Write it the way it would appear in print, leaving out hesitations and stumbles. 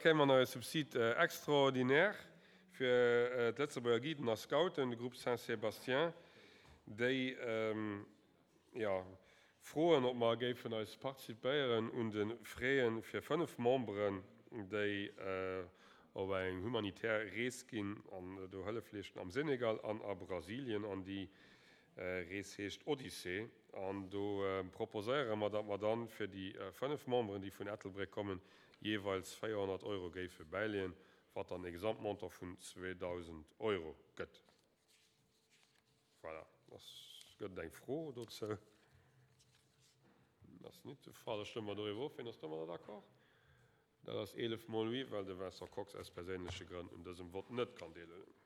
kréie mer nach e Subside extraordinaire fir d'Lëtzebuerger Guiden a Scouten, de Groupe Saint-Sébastien, déi, jo, froen, ob mer géifen eis participéieren un de Frais fir 5 Memberen, déi op eng humanitär Rees ginn an do Hëllef leeschten am Senegal an a Brasilien. An déi Rees heescht Odyssee. An do proposéiere mer, datt mer dann fir déi 5 Memberen, déi vun Ettelbréck kommen, jeeweils 400 Euro géife bäileeën, wat dann e Gesamtmontant vun 2.000 Euro gëtt. Voilà. Ass, gëtt et eng Fro dozou? Ass nit de Fall. Da stëmme mer doriwwer of. Wien ass domadder d'accord? Dat ass 11 mol oui, well de Vincent Kox aus perséinleche Grënn un dësem Vott net kann deelhuelen.